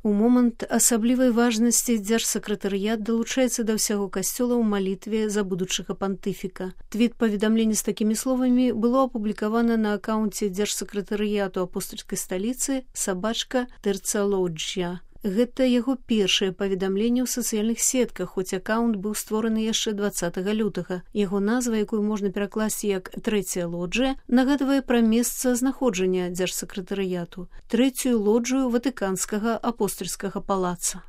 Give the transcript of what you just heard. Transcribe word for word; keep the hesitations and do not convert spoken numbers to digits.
У момант асаблівай важнасці дзяржсакратарыят далучаецца да ўсяго касцёла ў малітве за будучага пантыфіка. Твіт-паведамленне з такімі словамі было апублікавана на акаунце дзяржсакратарыяту апостальскай сталіцы сабачка Тэрцалоджя. Гэта яго першае паведамленне ў сацыяльных сетках, хоць акаунт быў створаны яшчэ дваццатага лютага. Яго назва, якую можна перакласці як «Трэцяя лоджыя», нагадвае пра месца знаходжання дзяржсакратарыяту, трэцюю лоджыю Ватыканскага апостальскага палаца.